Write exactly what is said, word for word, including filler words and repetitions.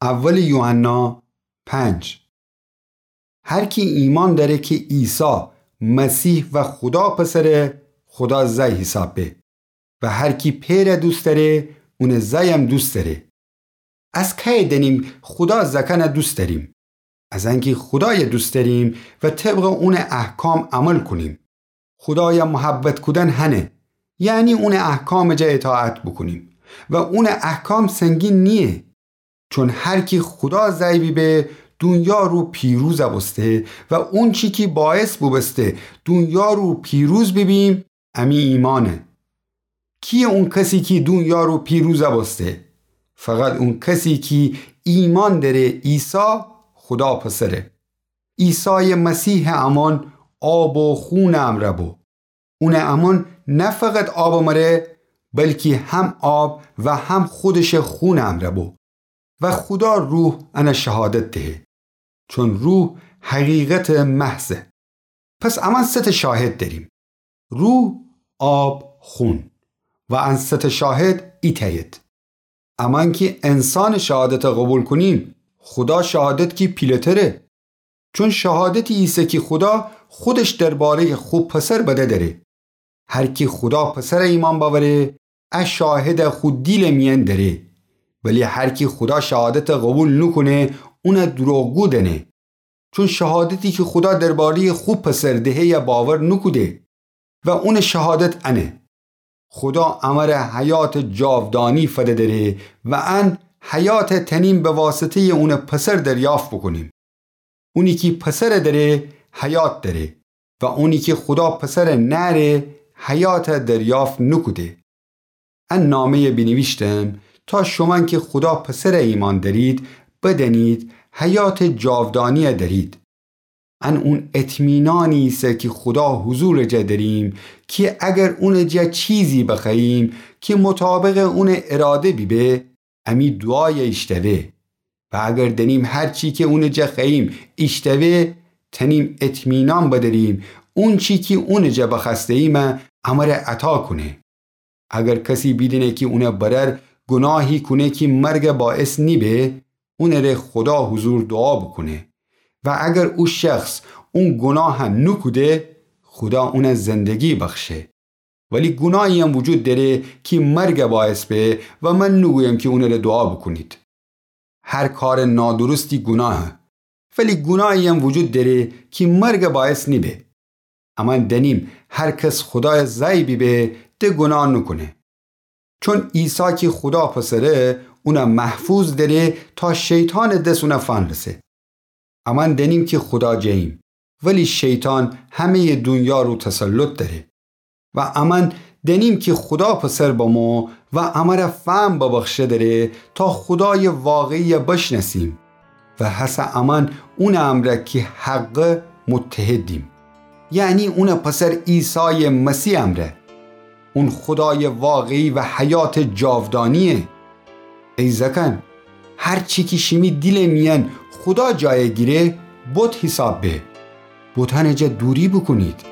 اول یوحنا پنج. هر کی ایمأن دأره کی عیسی مسیح و خودا پسره، خودا زأی حیساب به. و هر کی پئرَ دوست دأره، اونٚ زأیم دوست دأره. از کأیه دأنیم خودا زأکأنَ دوست دأریم؟ از انکی خودایَ دوست دأریم و طبقٚ اونٚ احکام عمل کونیم. خودایَ محبت کودن هنه، یعنی اونٚ احکامٚ جا اطاعت بوکونیم. و اونٚ احکام سنگین نییه. چون هر کی خودا زأی بیبه، دونیا رو پیروزَ بوسته و اونچی کی باعث بوبوسته دونیا رو پیروز بیبیم، امی ایمأنه. کیه اون کسی کی دونیا رو پیروزَ بوسته؟ فقط اون کسی کی ایمأن دأره عیسی خودا پسره. عیسایٚ مسیحٚ امأن آب و خونٚ امرأ بو. اونٚ امأن نه فقط آبٚ مره، بلکی هم آب و هم خودشٚ خونٚ امرأ بو. و خودا روح انَ شهادت دهه، چون روح حقیقتٚ محضه. پس امأن سه تأ شاهد دأریم: روح، آب، خون. و ان سه تأ شاهد ایتأید. امأن کی انسانٚ شهادتَ قوبیل کونیم، خودا شهادت کی پیله‌تره. چون شهادتی ایسه کی خودا خودش درباره‌یٚ خو پسر بده دأره. هر کی خودا پسرَ ایمأن بأوره، ا شاهدَ خو دیلٚ میأن دأره. ولی هر کی خودا شهادتَ قوبیل نوکونه، اونَ دروغگو دأنه. چون شهادتی کی خودا درباره‌یٚ خو پسر دهه‌یَ باور نوکوده. و اونٚ شهادت انه: خودا امره حیاتٚ جاودانی فده دأره و ان حیاتَ تأنیم به واسطه‌یٚ اونٚ پسر دریافت بوکونیم. اونی کی پسرَ دأره، حیات دأره، و اونی کی خودا پسرَ نأره، حیاتَ دریافت نوکوده. ان نامه‌یَ بینیویشتم تا شومأن کی خودا پسرَ ایمأن دأرید، بدأنید حیاتٚ جاودانی‌یَ دأرید. ان اون اطمینانی ایسه کی خودا حضورٚ جا دأریم، کی اگر اونٚ جا چیزی بخوأییم کی مطابقٚ اونٚ اراده بیبه، امی دوعایَ ایشتوه. و اگر دأنیم هر چی کی اونٚ جا خوأییم ایشتوه، تأنیم اطمینان بدأریم اونچی کی اونٚ جا بخوأسته‌ییمَ امره عطا کونه. اگر کسی بیدینه کی اونٚ برأر گوناهی کونه کی مرگَ باعث نیبه، اونٚ ره خودا حضور دوعا بوکونه. و اگر او شخص اون گوناهَ نوکوده، خودا اونَ زندگی بخشه. ولی گوناهی‌یم وجود دأره کی مرگَ باعث به و من نوگویم کی اونٚ ره دوعا بوکونید. هر کارٚ نادرستی گوناهه، ولی گوناهی‌یم وجود دأره کی مرگَ باعث نیبه. امأن دأنیم هر کس خودایَ زأی بیبه، د گوناه نوکونه. چون عیسی کی خودا پسره، اونَ محفوظ دأره تا شیطانٚ دس اونَ فنرسه. امأن دأنیم کی خودا جه‌ییم، ولی شیطان همه‌یٚ دونیا رو تسلط دأره. و امأن دأنیم کی خودا پسر بمو و امره فهم ببخشه دأره تا خودایٚ واقعی‌یَ بشنأسیم. و هسه امأن اونٚ امرأ کی حقه متحدیم، یعنی اونٚ پسر عیسایٚ مسیح امرأ. اون خودایٚ واقعی و حیاتٚ جاودانی‌یه. ای زأکأن، هر چی کی شیمی دیلٚ میأن خودا جایَ گیره، بت حیساب به. بتأنٚ جا دوری بوکونید.